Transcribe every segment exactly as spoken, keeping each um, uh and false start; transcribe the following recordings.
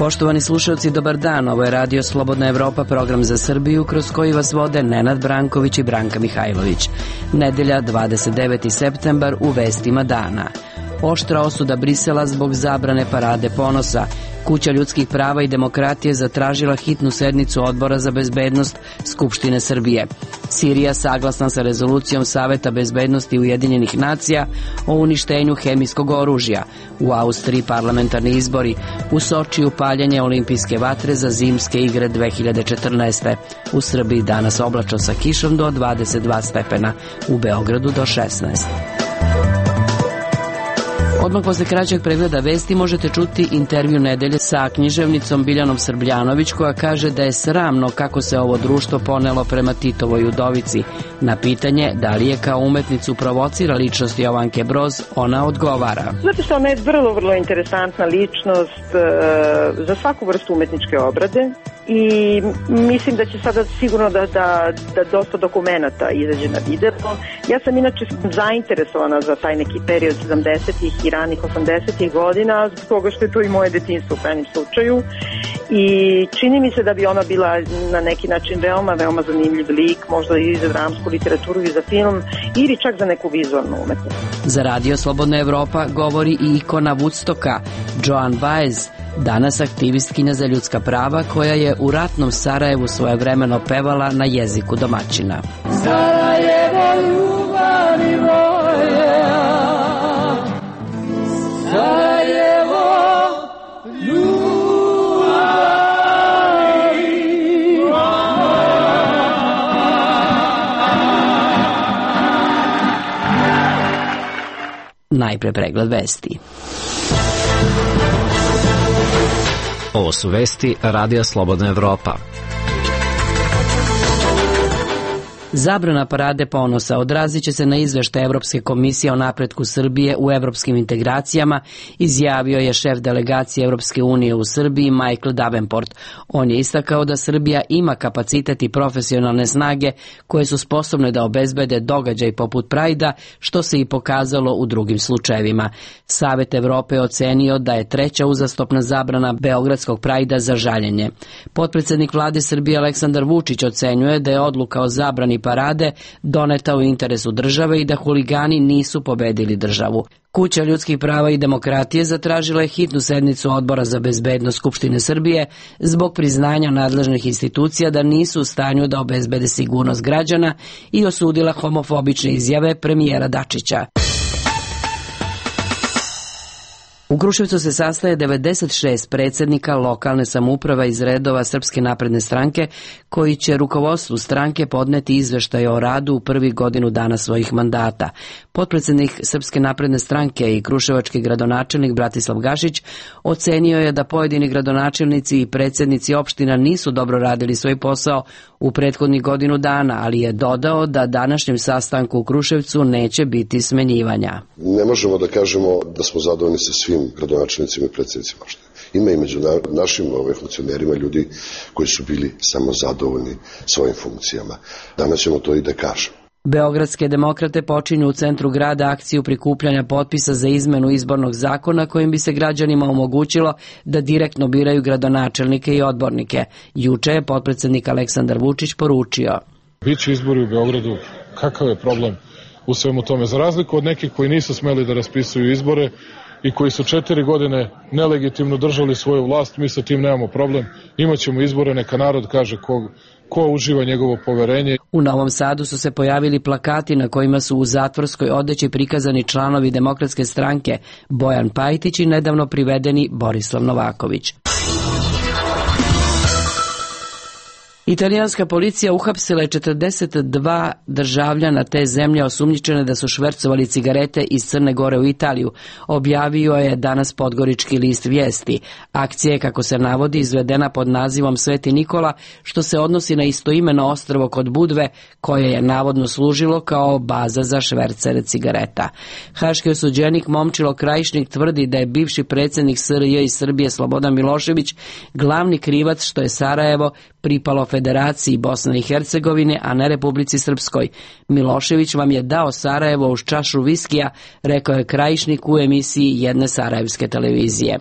Poštovani slušalci, dobar dan. Ovo je Radio Slobodna Evropa, program za Srbiju, kroz koji vas vode Nenad Branković i Branka Mihajlović. Nedelja, dvadeset deveti septembar, u vestima dana. Oštra osuda Brisela zbog zabrane parade ponosa. Kuća ljudskih prava i demokratije zatražila hitnu sednicu Odbora za bezbednost Skupštine Srbije. Sirija saglasna sa rezolucijom Saveta bezbednosti Ujedinjenih nacija o uništenju hemijskog oružja. U Austriji parlamentarni izbori. U Sočiju paljenje olimpijske vatre za zimske igre dve hiljade četrnaeste. U Srbiji danas oblačno sa kišom do dvadeset dva stepena. U Beogradu do šesnaest. Odmah posle kraćeg pregleda vesti možete čuti intervju nedelje sa književnicom Biljanom Srbljanović, koja kaže da je sramno kako se ovo društvo ponelo prema Titovoj udovici. Na pitanje da li je kao umetnicu provocira ličnost Jovanke Broz, ona odgovara. Zato što ona je vrlo, vrlo interesantna ličnost e, za svaku vrstu umetničke obrade i mislim da će sada sigurno da, da, da dosta dokumenata izađe na video. Ja sam inače zainteresovana za taj neki period sedamdesetih i ranih osamdesetih godina, zbog toga što je to i moje detinjstvo u krajnjem slučaju, i čini mi se da bi ona bila na neki način veoma, veoma zanimljiv lik, možda i za dramsku literaturu i za film, ili čak za neku vizualnu umetnost. Za Radio Slobodna Evropa govori i ikona Woodstocka, Joan Baez, danas aktivistkinja za ljudska prava, koja je u ratnom Sarajevu svojevremeno pevala na jeziku domaćina. Sarajevo, ljubavi moja, Sarajevo, ljubavi moja. Najpre pregled vesti. Ovo su vesti Radija Slobodna Evropa. Zabrana parade ponosa odrazit će se na izveštaj Evropske komisije o napretku Srbije u evropskim integracijama, izjavio je šef delegacije Evropske unije u Srbiji Michael Davenport. On je istakao da Srbija ima kapacitet i profesionalne snage koje su sposobne da obezbede događaj poput Prajda, što se i pokazalo u drugim slučajevima. Savet Evrope je ocenio da je treća uzastopna zabrana Beogradskog Prajda za žaljenje. Potpredsednik vlade Srbije Aleksandar Vučić ocenjuje da je odluka o zabrani parade doneta u interesu države i da huligani nisu pobedili državu. Kuća ljudskih prava i demokratije zatražila je hitnu sednicu Odbora za bezbednost Skupštine Srbije zbog priznanja nadležnih institucija da nisu u stanju da obezbede sigurnost građana i osudila homofobične izjave premijera Dačića. U Kruševcu se sastaje devedeset šest predsednika lokalne samouprave iz redova Srpske napredne stranke, koji će rukovodstvu stranke podneti izveštaj o radu u prvih godinu dana svojih mandata. Potpredsednik Srpske napredne stranke i kruševački gradonačelnik Bratislav Gašić ocenio je da pojedini gradonačelnici i predsednici opština nisu dobro radili svoj posao u prethodnih godinu dana, ali je dodao da današnjem sastanku u Kruševcu neće biti smenjivanja. Ne možemo da kažemo da smo zadovoljni sa svim gradonačelnicima i predsednicima opština. Ima i među našim ove, funkcionerima ljudi koji su bili samo zadovoljni svojim funkcijama. Danas ćemo to i da kažemo. Beogradske demokrate počinju u centru grada akciju prikupljanja potpisa za izmenu izbornog zakona kojim bi se građanima omogućilo da direktno biraju gradonačelnike i odbornike. Juče je potpredsednik Aleksandar Vučić poručio: Biće izbori u Beogradu, kakav je problem u svemu tome? Za razliku od nekih koji nisu smeli da raspisuju izbore i koji su četiri godine nelegitimno držali svoju vlast, mi sa tim nemamo problem. Imaćemo izbore, neka narod kaže ko, ko uživa njegovo poverenje. U Novom Sadu su se pojavili plakati na kojima su u zatvorskoj odeći prikazani članovi Demokratske stranke Bojan Pajtić i nedavno privedeni Borislav Novaković. Italijanska policija uhapsila je četrdeset dva državljana te zemlje osumnjičene da su švercovali cigarete iz Crne Gore u Italiju, objavio je danas Podgorički list Vijesti. Akcija je, kako se navodi, izvedena pod nazivom Sveti Nikola, što se odnosi na istoimeno ostrvo kod Budve, koje je navodno služilo kao baza za švercere cigareta. Haški osuđenik Momčilo Krajišnik tvrdi da je bivši predsjednik S R J i Srbije Slobodan Milošević glavni krivac što je Sarajevo pripalo Federaciji Bosne i Hercegovine, a ne Republici Srpskoj. Milošević vam je dao Sarajevo uz čašu viskija, rekao je Krajišnik u emisiji jedne sarajevske televizije.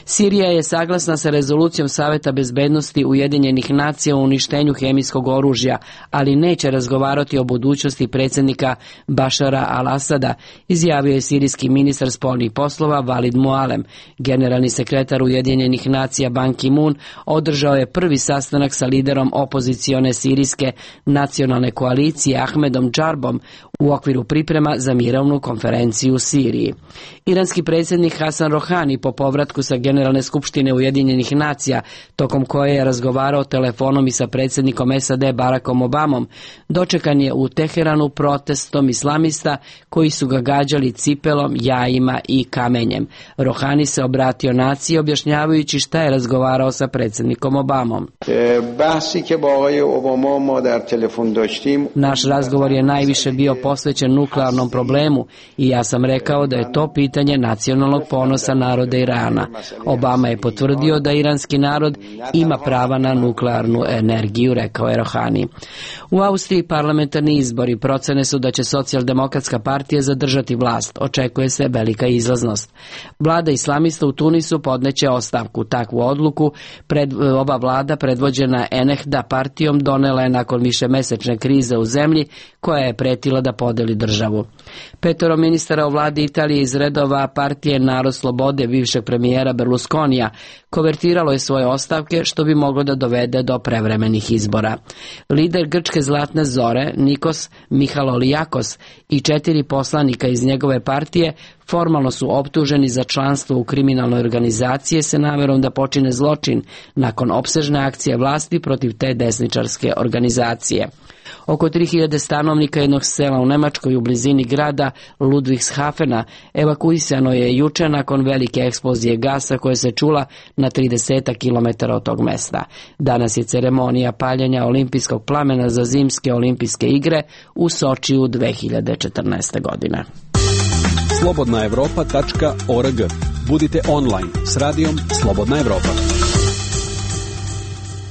Sirija je saglasna sa rezolucijom Saveta bezbednosti Ujedinjenih nacija o uništenju hemijskog oružja, ali neće razgovarati o budućnosti predsjednika Bašara al-Asada, izjavio je sirijski ministar spoljnih poslova Valid Mualem. Generalni sekretar Ujedinjenih nacija Ban Ki-moon održao je prvi sastanak sa liderom opozicione sirijske nacionalne koalicije Ahmedom Džarbom u okviru priprema za mirovnu konferenciju u Siriji. Iranski predsjednik Hasan Rohani po povratku sa Generalne skupštine Ujedinjenih nacija, tokom koje je razgovarao telefonom i sa predsjednikom S A D Barackom Obamom, dočekan je u Teheranu protestom islamista koji su ga gađali cipelom, jajima i kamenjem. Rohani se obratio naciji objašnjavajući šta je razgovarao sa predsjednikom Obamom. Naš razgovor je najviše bio posvećen nuklearnom problemu i ja sam rekao da je to pitanje nacionalnog ponosa naroda Irana. Obama je potvrdio da iranski narod ima prava na nuklearnu energiju, rekao je Rohani. U Austriji parlamentarni izbori, procene su da će Socijaldemokratska partija zadržati vlast, očekuje se velika izlaznost. Vlada islamista u Tunisu podneće ostavku. Takvu odluku pred, ova vlada predvođena Ennahda partijom donela je nakon višemesečne krize u zemlji koja je pretila da podeli državu. Petoro ministara u vladi Italije iz redova partije Narod slobode bivšeg premijera Berlusconija konvertiralo je svoje ostavke, što bi moglo da dovede do prevremenih izbora. Lider grčke Zlatne zore Nikos Mihalolijakos i četiri poslanika iz njegove partije formalno su optuženi za članstvo u kriminalnoj organizaciji sa namerom da počine zločin nakon opsežne akcije vlasti protiv te desničarske organizacije. Oko tri hiljade stanovnika jednog sela u Nemačkoj u blizini grada Ludwigshafena evakuisano je juče nakon velike eksplozije gasa koja se čula na trideset kilometara od tog mesta. Danas je ceremonija paljenja olimpijskog plamena za zimske olimpijske igre u Sočiju dve hiljade četrnaeste. godine. slobodna evropa tačka org. Budite online s radijom Slobodna Evropa.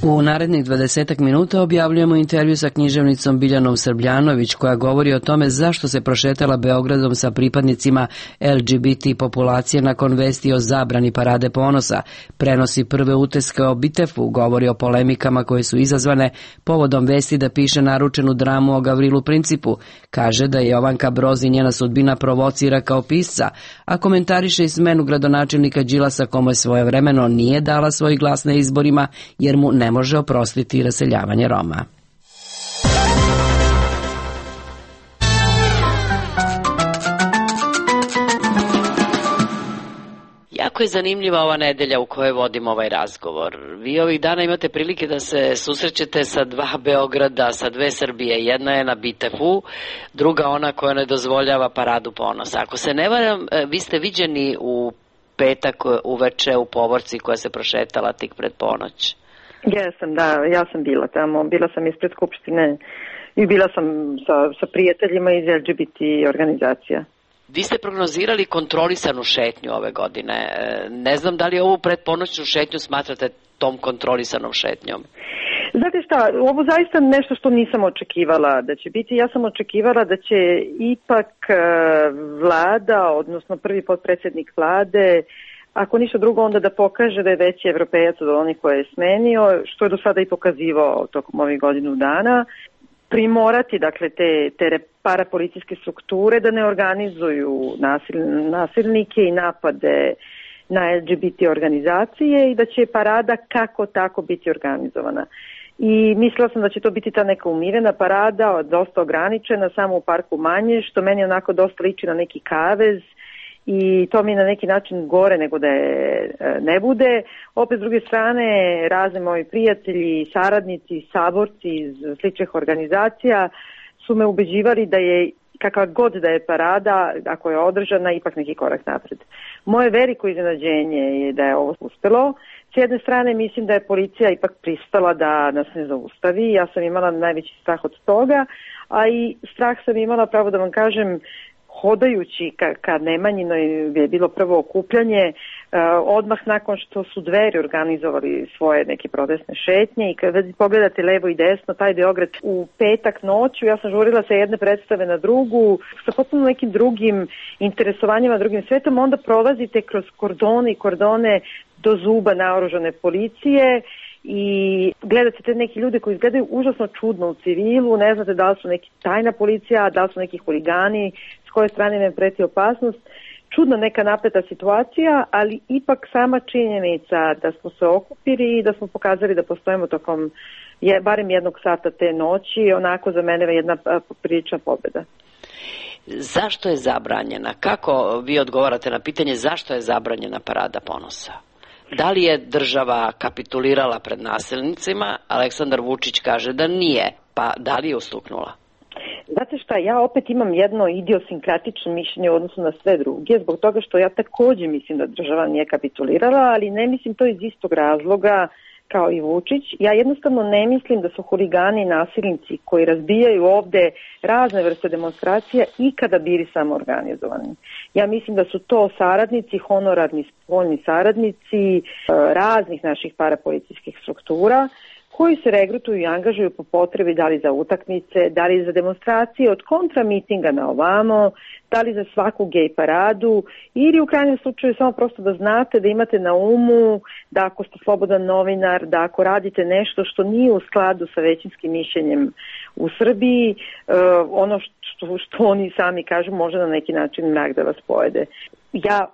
U narednih dvadesetak minuta objavljujemo intervju sa književnicom Biljanom Srbljanović koja govori o tome zašto se prošetala Beogradom sa pripadnicima L G B T populacije nakon vesti o zabrani Parade ponosa, prenosi prve utiske o Bitefu, govori o polemikama koje su izazvane povodom vesti da piše naručenu dramu o Gavrilu Principu, kaže da je Jovanka Broz i njena sudbina provocira kao pisca, a komentariše i smenu gradonačelnika Đilasa kome svojevremeno nije dala svoj glas na izborima jer mu ne može oprostiti raseljavanje Roma. Jako je zanimljiva ova nedelja u kojoj vodimo ovaj razgovor. Vi ovih dana imate prilike da se susrećete sa dva Beograda, sa dve Srbije. Jedna je na Bitefu, druga ona koja ne dozvoljava Paradu ponosa. Ako se ne varam, vi ste viđeni u petak uveče u Povorci koja se prošetala tik pred ponoć. Jesam, da, ja sam bila tamo, bila sam ispred Skupštine i bila sam sa, sa prijateljima iz L G B T organizacija. Vi ste prognozirali kontrolisanu šetnju ove godine. Ne znam da li ovu predponoćnu šetnju smatrate tom kontrolisanom šetnjom? Znate šta, ovo zaista nešto što nisam očekivala da će biti. Ja sam očekivala da će ipak vlada, odnosno prvi potpredsjednik vlade, ako ništa drugo onda da pokaže da je veći evropejac od onih koje je smenio, što je do sada i pokazivao tokom ovih godinu dana, primorati dakle te, te parapolicijske strukture da ne organizuju nasil, nasilnike i napade na L G B T organizacije i da će parada kako tako biti organizovana. I mislila sam da će to biti ta neka umirena parada, dosta ograničena, samo u parku manje, što meni onako dosta liči na neki kavez, i to mi je na neki način gore nego da je ne bude. Opet s druge strane, razni moji prijatelji, saradnici, saborci iz sličnih organizacija su me ubeđivali da je kakva god da je parada, ako je održana, ipak neki korak napred. Moje veliko iznenađenje je da je ovo uspelo. S jedne strane mislim da je policija ipak pristala da nas ne zaustavi. Ja sam imala najveći strah od toga, a i strah sam imala, pravo da vam kažem, hodajući ka, ka Nemanjinoj je bilo prvo okupljanje, odmah nakon što su Dveri organizovali svoje neke protestne šetnje i kada pogledate levo i desno, taj Beograd u petak noću, ja sam žurila sa jedne predstave na drugu, sa potpuno nekim drugim interesovanjima, drugim svetom, onda prolazite kroz kordone i kordone do zuba naoružane policije i gledate te neki ljudi koji izgledaju užasno čudno u civilu, ne znate da li su neki tajna policija, da li su neki huligani, s koje strane im preti opasnost. Čudna neka napeta situacija, ali ipak sama činjenica da smo se okupili i da smo pokazali da postojimo tokom je, barem jednog sata te noći, onako za mene je jedna prilična pobjeda. Zašto je zabranjena? Kako vi odgovarate na pitanje zašto je zabranjena Parada ponosa? Da li je država kapitulirala pred nasilnicima? Aleksandar Vučić kaže da nije, pa da li je ustuknula? Znate šta, ja opet imam jedno idiosinkratično mišljenje u odnosu na sve druge, zbog toga što ja takođe mislim da država nije kapitulirala, ali ne mislim to iz istog razloga kao i Vučić. Ja jednostavno ne mislim da su huligani i nasilnici koji razbijaju ovde razne vrste demonstracija ikada bili samo organizovani. Ja mislim da su to saradnici, honorarni spoljni saradnici raznih naših parapolicijskih struktura koji se regrutuju i angažuju po potrebi da li za utakmice, da li za demonstracije od kontramitinga na ovamo, da li za svaku gej paradu ili u krajnjem slučaju samo prosto da znate da imate na umu da ako ste slobodan novinar, da ako radite nešto što nije u skladu sa većinskim mišljenjem u Srbiji, ono što, što oni sami kažu može na neki način mrak da vas pojede. Ja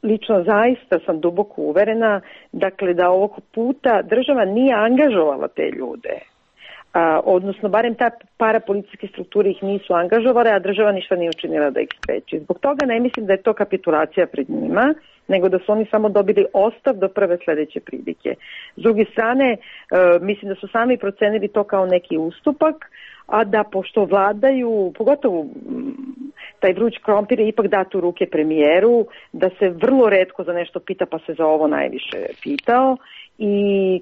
lično zaista sam duboko uverena, dakle da ovog puta država nije angažovala te ljude, a, odnosno barem ta parapolicijske strukture ih nisu angažovale, a država ništa nije učinila da ih spreči. Zbog toga ne mislim da je to kapitulacija pred njima, nego da su oni samo dobili ostav do prve sledeće prilike. S druge strane, e, mislim da su sami procenili to kao neki ustupak, a da pošto vladaju, pogotovo taj vruć krompir je ipak dat u ruke premijeru, da se vrlo retko za nešto pita pa se za ovo najviše pitao i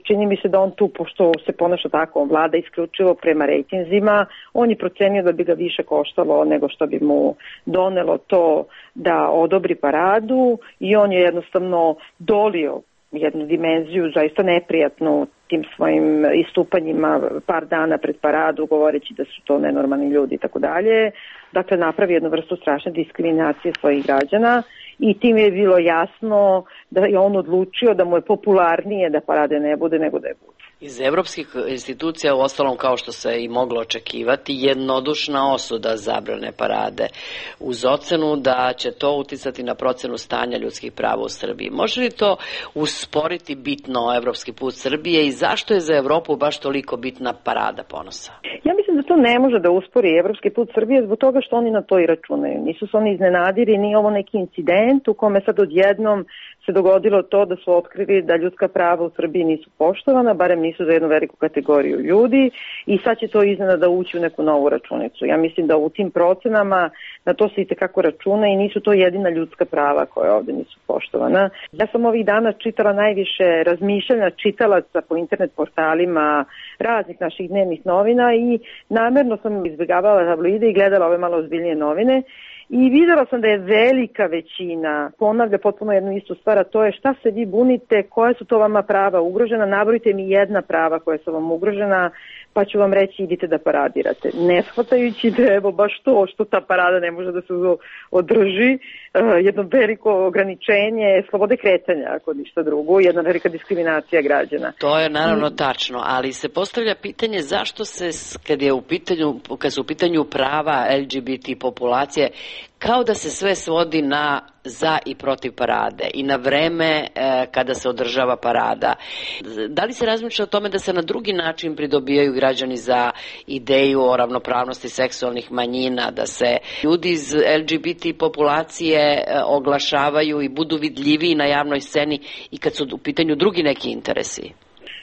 čini mi se da on tu, pošto se ponaša tako, on vlada isključivo prema rejtinzima, on je procenio da bi ga više koštalo nego što bi mu donelo to da odobri paradu i on je jednostavno dolio jednu dimenziju zaista neprijatnu tim svojim istupanjima par dana pred paradu, govoreći da su to nenormalni ljudi i tako dalje. Dakle, napravi jednu vrstu strašne diskriminacije svojih građana i tim je bilo jasno da je on odlučio da mu je popularnije da parade ne bude nego da je bude. Iz evropskih institucija, u ostalom kao što se i moglo očekivati, jednodušna osuda zabrane parade uz ocenu da će to uticati na procenu stanja ljudskih prava u Srbiji. Može li to usporiti bitno evropski put Srbije i zašto je za Evropu baš toliko bitna Parada ponosa? Ja mislim da to ne može da uspori evropski put Srbije zbog toga što oni na to i računaju. Nisu se oni iznenadili, nije ovo neki incident u kome sad odjednom se dogodilo to da su otkrili da ljudska prava u Srbiji nisu poštovana, barem nisu za jednu veliku kategoriju ljudi i sad će to iznenada ući u neku novu računicu. Ja mislim da u tim procenama na to se itekako računa i nisu to jedina ljudska prava koje ovde nisu poštovana. Ja sam ovih dana čitala najviše razmišljanja čitalaca po internet portalima raznih naših dnevnih novina i namerno sam izbjegavala tabloide i gledala ove malo ozbiljnije novine. I videla sam da je velika većina ponavlja potpuno jednu istu stvar, a to je šta se vi bunite, koje su to vama prava ugrožena, nabrojite mi jedna prava koja su vam ugrožena, pa ću vam reći idite da paradirate. Ne shvatajući da evo baš to što ta parada ne može da se održi, jedno veliko ograničenje slobode kretanja, ako ništa drugo, jedna velika diskriminacija građana. To je naravno tačno, ali se postavlja pitanje zašto se, kad je u pitanju, kad su u pitanju prava L G B T populacije, kao da se sve svodi na za i protiv parade i na vreme e, kada se održava parada. Da li se razmišlja o tome da se na drugi način pridobijaju građani za ideju o ravnopravnosti seksualnih manjina, da se ljudi iz L G B T populacije e, oglašavaju i budu vidljiviji na javnoj sceni i kad su u pitanju drugi neki interesi?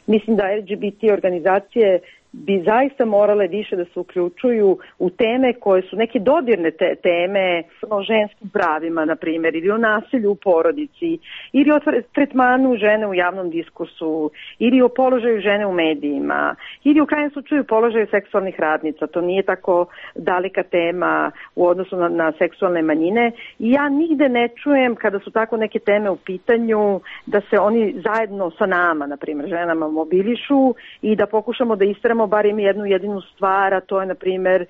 Mislim da L G B T organizacije bi zaista morale više da se uključuju u teme koje su neke dodirne te, teme o ženskim pravima, na primjer, ili o nasilju u porodici, ili o tretmanu žene u javnom diskursu, ili o položaju žene u medijima, ili u krajnjem slučaju položaju seksualnih radnica. To nije tako daleka tema u odnosu na, na seksualne manjine. I ja nigde ne čujem kada su tako neke teme u pitanju da se oni zajedno sa nama, na primjer, ženama mobilišu i da pokušamo da istremo barem jednu jedinu stvar, a to je, na primjer,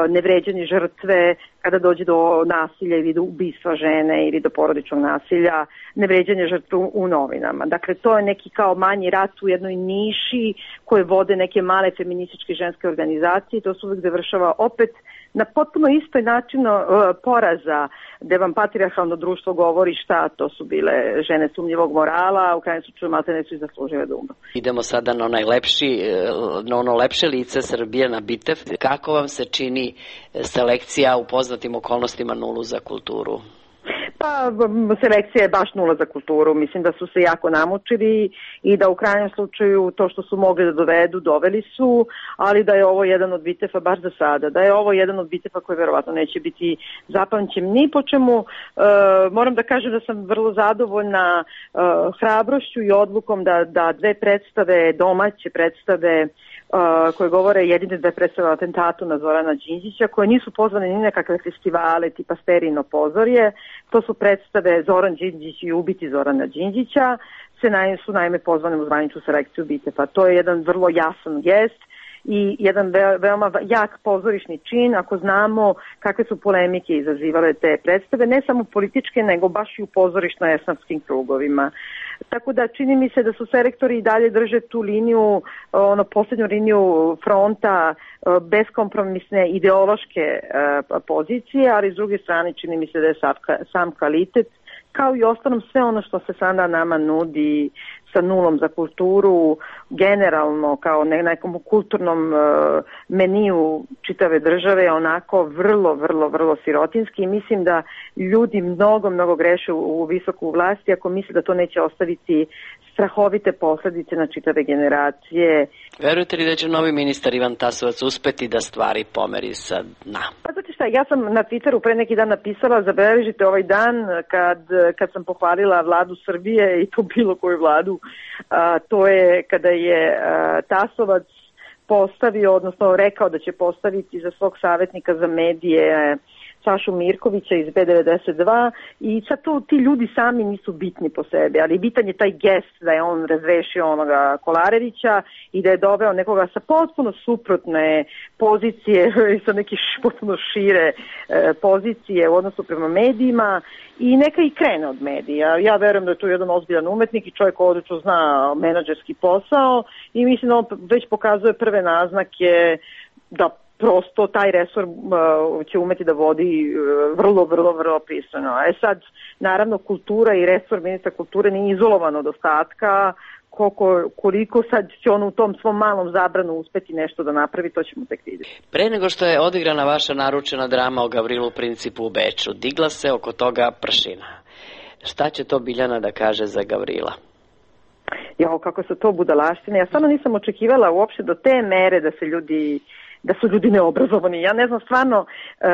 nevređanje žrtve kada dođe do nasilja ili do ubistva žene ili do porodičnog nasilja, nevređanje žrtve u novinama. Dakle, to je neki kao manji rat u jednoj niši koje vode neke male feminističke ženske organizacije. To se uvek završava opet na potpuno istoj način uh, poraza, gde vam patrijarhalno društvo govori šta to su bile žene sumnjivog morala, u krajnjem slučaju maltene su i zaslužile da umru. Idemo sada na onaj lepši, na ono lepše lice Srbije, na Bitev. Kako vam se čini selekcija u poznatim okolnostima nulu za kulturu? Pa, selekcija je baš nula za kulturu. Mislim da su se jako namučili i da u krajnjem slučaju to što su mogli da dovedu, doveli su, ali da je ovo jedan od bitefa baš za sada. Da je ovo jedan od bitefa koji verovatno neće biti zapamćen ni po čemu. E, moram da kažem da sam vrlo zadovoljna e, hrabrošću i odlukom da, da dve predstave, domaće predstave, Uh, koje govore jedine da je predstavila atentatu na Zorana Đinđića, koje nisu pozvane ni na kakve festivale tipa Sterino pozorje. To su predstave Zoran Đinđić i ubiti Zorana Đinđića, se naj, su naime pozvane u zvaničnu selekciju bitefa. To je jedan vrlo jasan gest i jedan ve, veoma jak pozorišni čin ako znamo kakve su polemike izazivale te predstave, ne samo političke, nego baš i u pozorišno-esnavskim krugovima. Tako da čini mi se da su selektori i dalje drže tu liniju, ono posljednju liniju fronta, beskompromisne ideološke pozicije, ali s druge strane čini mi se da je sam kvalitet, kao i ostalom sve ono što se sada nama nudi sa nulom za kulturu, generalno kao na nekom kulturnom meniju čitave države, onako vrlo, vrlo, vrlo sirotinski i mislim da ljudi mnogo, mnogo greše u visoku vlasti ako misle da to neće ostaviti strahovite posledice na čitave generacije. Verujete li da će novi ministar Ivan Tasovac uspeti da stvari pomeri sa dna? Pa znate šta, ja sam na Twitteru pre neki dan napisala, zabeležite ovaj dan kad, kad sam pohvalila vladu Srbije i to bilo koju vladu, a, to je kada je a, Tasovac postavio, odnosno rekao da će postaviti za svog savjetnika za medije Sašu Mirkovića iz B devedeset dva i sad to ti ljudi sami nisu bitni po sebi, ali bitan je taj gest da je on razrešio onoga Kolarevića i da je doveo nekoga sa potpuno suprotne pozicije i sa neke potpuno šire e, pozicije u odnosu prema medijima i neka i krene od medija. Ja verujem da je tu jedan ozbiljan umetnik i čovjek odlično zna menadžerski posao i mislim da on već pokazuje prve naznake da prosto taj resor uh, će umeti da vodi uh, vrlo, vrlo, vrlo pristojno. E sad, naravno, kultura i resor ministra kulture nije izolovan od ostatka, koliko, koliko sad će on u tom svom malom zabranu uspeti nešto da napravi, to ćemo tek vidjeti. Pre nego što je odigrana vaša naručena drama o Gavrilu Principu u Beču, digla se oko toga pršina. Šta će to Biljana da kaže za Gavrila? Jo, kako su to budalaštine. Ja stvarno nisam očekivala uopšte do te mere da se ljudi da su ljudi neobrazovani. Ja ne znam, stvarno, e,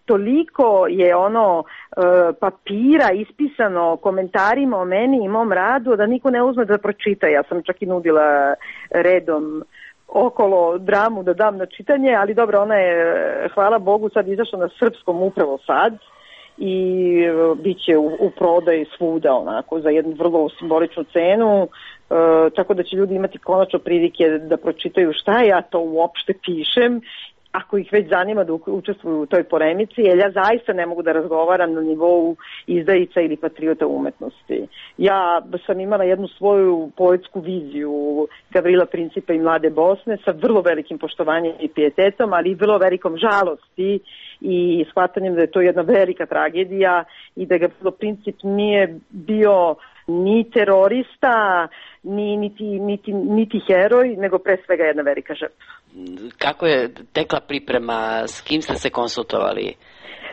toliko je ono e, papira ispisano komentarima o meni i mom radu da niko ne uzme da pročita. Ja sam čak i nudila redom okolo dramu da dam na čitanje, ali dobro, ona je, hvala Bogu, sad izašla na srpskom upravo sad i bit će u, u prodaju svuda onako za jednu vrlo simboličnu cenu. E, tako da će ljudi imati konačno prilike da pročitaju šta ja to uopšte pišem, ako ih već zanima da učestvuju u toj polemici, jer ja zaista ne mogu da razgovaram na nivou izdajica ili patriota umetnosti. Ja sam imala jednu svoju poetsku viziju Gavrila Principa i Mlade Bosne sa vrlo velikim poštovanjem i pijetetom, ali i vrlo velikom žalosti i shvatanjem da je to jedna velika tragedija i da Gavrilo Princip nije bio ni terorista, ni, niti, niti, niti heroj, nego pre svega jedna velika žrtva. Kako je tekla priprema, s kim ste se konsultovali?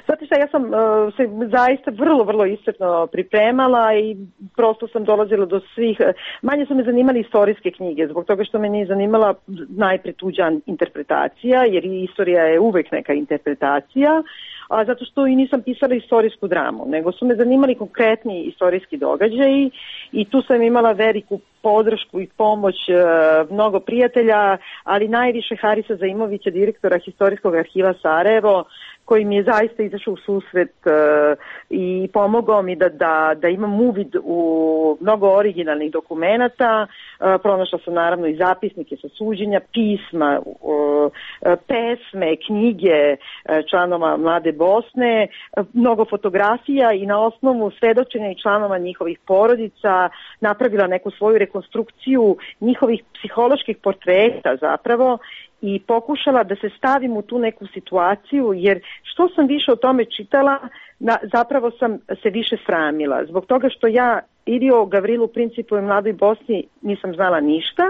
Znate šta, ja sam uh, se zaista vrlo, vrlo iscrpno pripremala i prosto sam dolazila do svih, manje su me zanimali istorijske knjige, zbog toga što me nije zanimala najpre tuđa interpretacija, jer istorija je uvek neka interpretacija, a zato što i nisam pisala istorijsku dramu, nego su me zanimali konkretni istorijski događaji i tu sam imala veliku podršku i pomoć e, mnogo prijatelja, ali najviše Harisa Zaimovića, direktora Historijskog arhiva Sarajevo, koji mi je zaista izašao u susret e, i pomogao mi da, da, da imam uvid u mnogo originalnih dokumenata. E, pronašla sam naravno i zapisnike sa suđenja, pisma, e, pesme, knjige e, članova Mlade Bosne, e, mnogo fotografija i na osnovu svedočenja i članova njihovih porodica napravila neku svoju rekonstrukciju njihovih psiholoških portreta zapravo i pokušala da se stavim u tu neku situaciju, jer što sam više o tome čitala, na, zapravo sam se više sramila. Zbog toga što ja ili o Gavrilu Principu i Mladoj Bosni nisam znala ništa,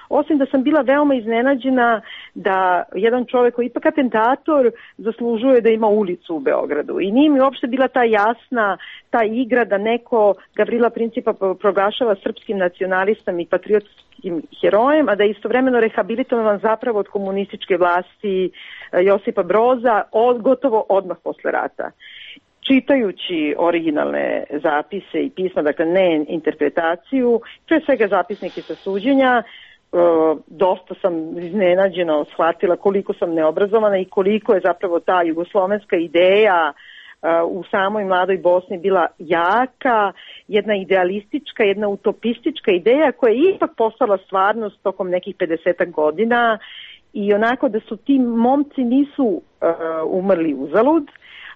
osim da sam bila veoma iznenađena da jedan čovjek koji je ipak atentator zaslužuje da ima ulicu u Beogradu. I nije mi uopšte bila ta jasna, ta igra da neko Gavrila Principa proglašava srpskim nacionalistom i patriotskim herojem, a da je istovremeno rehabilitovan zapravo od komunističke vlasti Josipa Broza od, gotovo odmah posle rata. Čitajući originalne zapise i pisma, dakle ne interpretaciju, pre svega zapisnike sa suđenja, dosta sam iznenađeno shvatila koliko sam neobrazovana i koliko je zapravo ta jugoslovenska ideja u samoj Mladoj Bosni bila jaka, jedna idealistička, jedna utopistička ideja koja je ipak postala stvarnost tokom nekih pedesetak godina i onako da su ti momci nisu uh, umrli uzalud,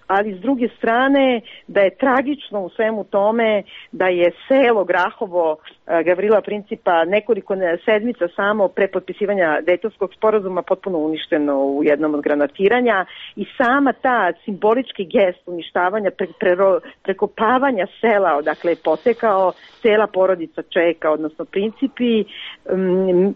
ali s druge strane da je tragično u svemu tome da je selo Grahovo Gavrila Principa nekoliko sedmica samo pre potpisivanja Dejtonskog sporazuma potpuno uništeno u jednom od granatiranja i sama ta simbolički gest uništavanja, pre, pre, prekopavanja sela odakle je potekao cela porodica Čeka, odnosno Principi,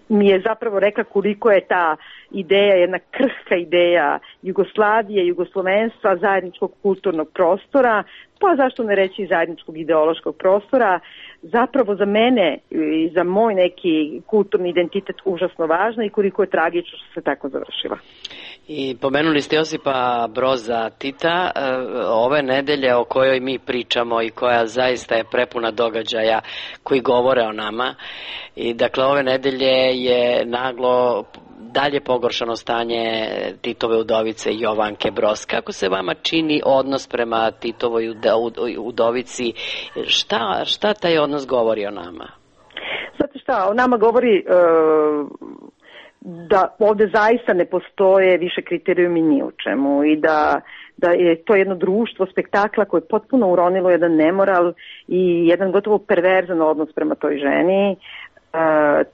mi je zapravo rekla koliko je ta ideja, jedna krhka ideja Jugoslavije, jugoslovenstva, zajedničkog kulturnog prostora, pa zašto ne reći zajedničkog ideološkog prostora, zapravo za mene i za moj neki kulturni identitet užasno važna i koliko je tragično što se tako završila. I pomenuli ste Josipa Broza Tita, ove nedelje o kojoj mi pričamo i koja zaista je prepuna događaja koji govore o nama. I dakle ove nedelje je naglo dalje pogoršano stanje Titove udovice Jovanke Broz. Kako se vama čini odnos prema Titovoj udovici? Šta, šta taj odnos govori o nama? Znate šta, o nama govori e, da ovde zaista ne postoje više kriterijumi ni u čemu i da, da je to jedno društvo spektakla koje je potpuno uronilo jedan nemoral i jedan gotovo perverzan odnos prema toj ženi. E,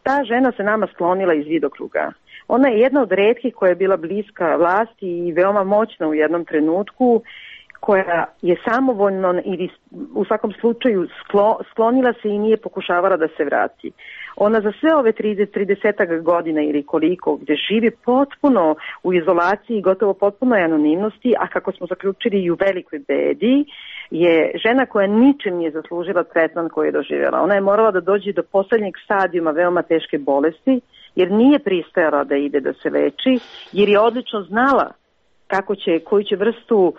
ta žena se nama sklonila iz vidokruga. Ona je jedna od retkih koja je bila bliska vlasti i veoma moćna u jednom trenutku, koja je samovoljno ili u svakom slučaju sklo, sklonila se i nije pokušavala da se vrati. Ona za sve ove trideset godina ili koliko gde živi potpuno u izolaciji, gotovo potpunoj anonimnosti, a kako smo zaključili i u velikoj bedi, je žena koja ničem nije zaslužila tretman koji je doživjela. Ona je morala da dođe do poslednjeg stadijuma veoma teške bolesti, jer nije pristajala da ide da se leči, jer je odlično znala kako će, koju će vrstu uh,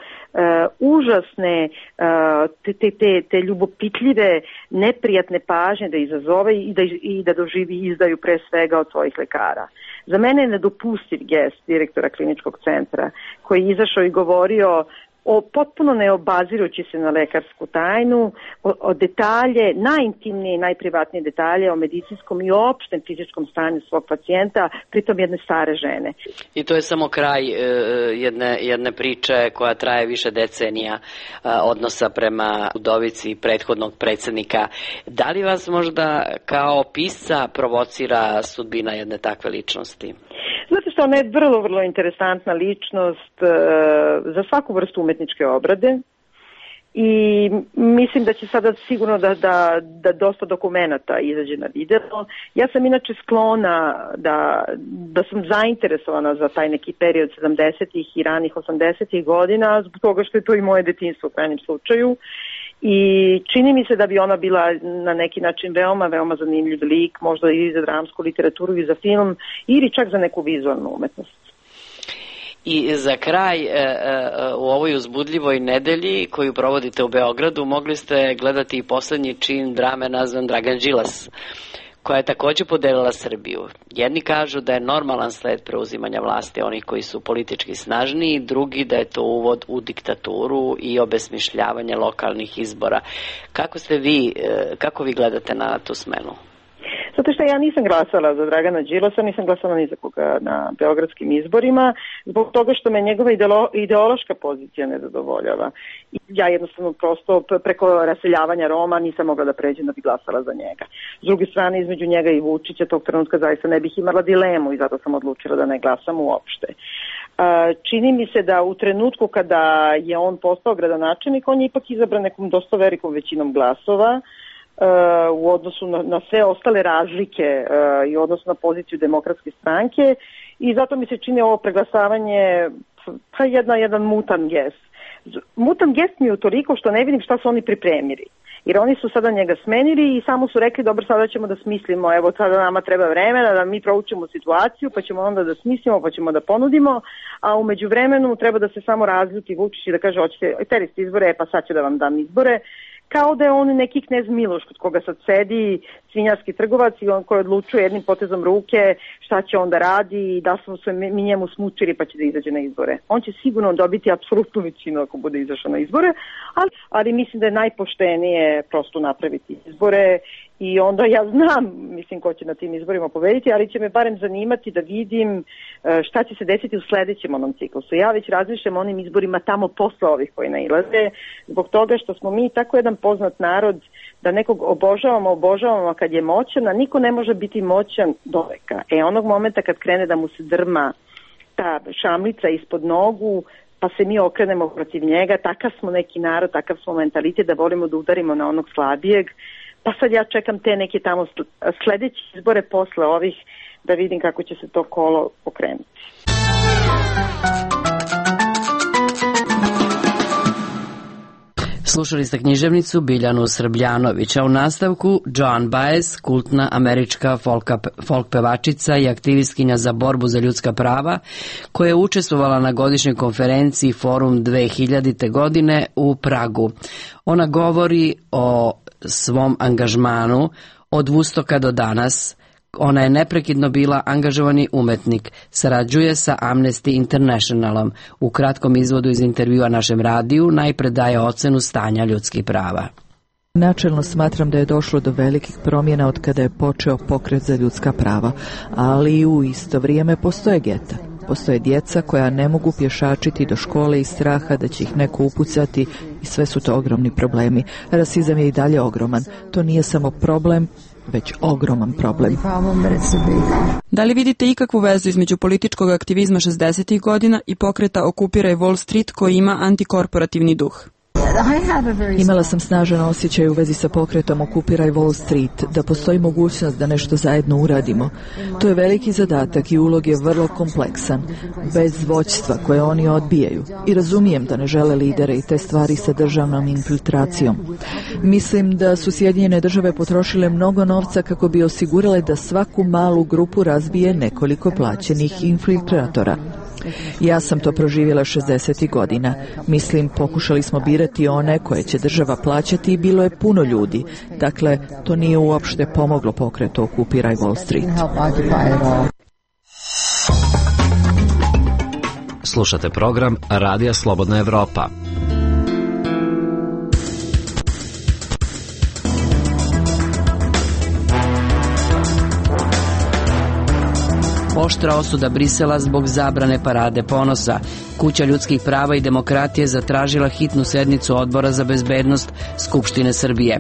užasne, uh, te, te, te, te ljubopitljive, neprijatne pažnje da izazove i da, i da doživi izdaju pre svega od svojih lekara. Za mene je nedopustiv gest direktora kliničkog centra koji je izašao i govorio o potpuno ne obazirući se na lekarsku tajnu, o, o detalje, najintimnije i najprivatnije detalje o medicinskom i opštem fizičkom stanju svog pacijenta, pritom jedne stare žene. I to je samo kraj e, jedne, jedne priče koja traje više decenija e, odnosa prema udovici prethodnog predsjednika. Da li vas možda kao pisca provocira sudbina jedne takve ličnosti? Znate što, ona je vrlo, vrlo interesantna ličnost e, za svaku vrstu umetničke obrade i mislim da će sada sigurno da, da, da dosta dokumenata izađe na video. Ja sam inače sklona da, da sam zainteresovana za taj neki period sedamdesetih i ranih osamdesetih godina, zbog toga što je to i moje detinjstvo u krajnjem slučaju. I čini mi se da bi ona bila na neki način veoma, veoma zanimljiv lik, možda i za dramsku literaturu i za film, ili čak za neku vizualnu umetnost. I za kraj, u ovoj uzbudljivoj nedelji koju provodite u Beogradu, mogli ste gledati i poslednji čin drame nazvan Dragan Đilas, koja je takođe podelila Srbiju. Jedni kažu da je normalan sled preuzimanja vlasti onih koji su politički snažniji, drugi da je to uvod u diktaturu i obesmišljavanje lokalnih izbora. Kako ste vi, kako vi gledate na tu smenu? Zato što ja nisam glasala za Dragana Đilasa, nisam glasala ni za koga na beogradskim izborima, zbog toga što me njegova ideolo, ideološka pozicija ne zadovoljava. I ja jednostavno prosto preko raseljavanja Roma nisam mogla da pređem da bi glasala za njega. S druge strane, između njega i Vučića tog trenutka zaista ne bih imala dilemu i zato sam odlučila da ne glasam uopšte. Čini mi se da u trenutku kada je on postao gradonačelnik, on je ipak izabran nekom dosta velikom većinom glasova, u odnosu na, na sve ostale razlike uh, i odnosu na poziciju Demokratske stranke i zato mi se čini ovo preglasavanje pa jedna, jedan mutan gest. Mutan gest mi je utoliko što ne vidim šta su oni pripremili. Jer oni su sada njega smenili i samo su rekli dobro sada ćemo da smislimo, evo sada nama treba vremena da mi proučimo situaciju pa ćemo onda da smislimo pa ćemo da ponudimo, a umeđu vremenu treba da se samo razljuti Vučić i da kaže hoćete, teri ste izbore, pa sad ću da vam dam izbore. Kao da je on neki knez Miloš kod koga sad sedi svinjarski trgovac i on koji odlučuje jednim potezom ruke šta će on da radi i da smo se mi njemu smučili pa će da izađe na izbore. On će sigurno dobiti apsolutnu većinu ako bude izašao na izbore, ali, ali mislim da je najpoštenije prosto napraviti izbore i onda ja znam, mislim, ko će na tim izborima pobediti, ali će me barem zanimati da vidim šta će se desiti u sledećem onom ciklusu. Ja već razmišljam o onim izborima tamo posle ovih koji nailaze, zbog toga što smo mi tako jedan poznat narod da nekog obožavamo, obožavamo kad je moćan, a niko ne može biti moćan do veka. E, onog momenta kad krene da mu se drma ta šamlica ispod nogu, pa se mi okrenemo protiv njega, takav smo neki narod, takav smo mentalitet da volimo da udarimo na onog slabijeg. Pa sad ja čekam te neke tamo sledeće izbore posle ovih da vidim kako će se to kolo pokrenuti. Slušali ste književnicu Biljanu Srbljanović, a u nastavku Joan Baez, kultna američka folka, folk pevačica i aktivistkinja za borbu za ljudska prava, koja je učestvovala na godišnjoj konferenciji Forum dve hiljadite. godine u Pragu. Ona govori o svom angažmanu od Vustoka do danas. Ona je neprekidno bila angažovani umetnik, sarađuje sa Amnesty Internationalom. U kratkom izvodu iz intervjua našem radiju najpre daje ocenu stanja ljudskih prava. Načelno smatram da je došlo do velikih promjena od kada je počeo pokret za ljudska prava, ali u isto vrijeme postoje geta. Postoje djeca koja ne mogu pješačiti do škole iz straha da će ih neko upucati i sve su to ogromni problemi. Rasizam je i dalje ogroman. To nije samo problem, već ogroman problem. Da li vidite ikakvu vezu između političkog aktivizma šezdesetih godina i pokreta Okupiraj Wall Street koji ima antikorporativni duh? Imala sam snažan osjećaj u vezi sa pokretom Okupiraj Wall Street, da postoji mogućnost da nešto zajedno uradimo. To je veliki zadatak i ulog je vrlo kompleksan, bez vođstva koje oni odbijaju. I razumijem da ne žele lidere i te stvari sa državnom infiltracijom. Mislim da su Sjedinjene države potrošile mnogo novca kako bi osigurale da svaku malu grupu razbije nekoliko plaćenih infiltratora. Ja sam to proživjela šezdesetih godina. Mislim, pokušali smo birati one koje će država plaćati i bilo je puno ljudi. Dakle, to nije uopšte pomoglo pokretu Okupiraj Wall Street. Slušate program Radija Slobodna Evropa. Oštra osuda Brisela zbog zabrane parade ponosa. Kuća ljudskih prava i demokratije zatražila hitnu sednicu Odbora za bezbednost Skupštine Srbije.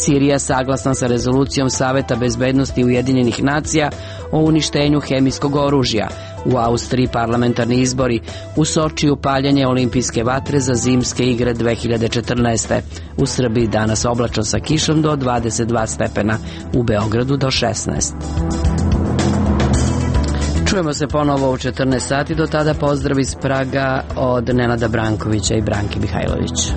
Sirija saglasna sa rezolucijom Saveta bezbednosti Ujedinjenih nacija o uništenju hemijskog oružja. U Austriji parlamentarni izbori. U Sočiju paljanje olimpijske vatre za zimske igre dve hiljade četrnaeste. U Srbiji danas oblačno sa kišom do dvadeset dva stepena. U Beogradu do šesnaest. Čujemo se ponovo u četrnaest sati. Do tada pozdrav iz Praga od Nenada Brankovića i Branke Mihajlović.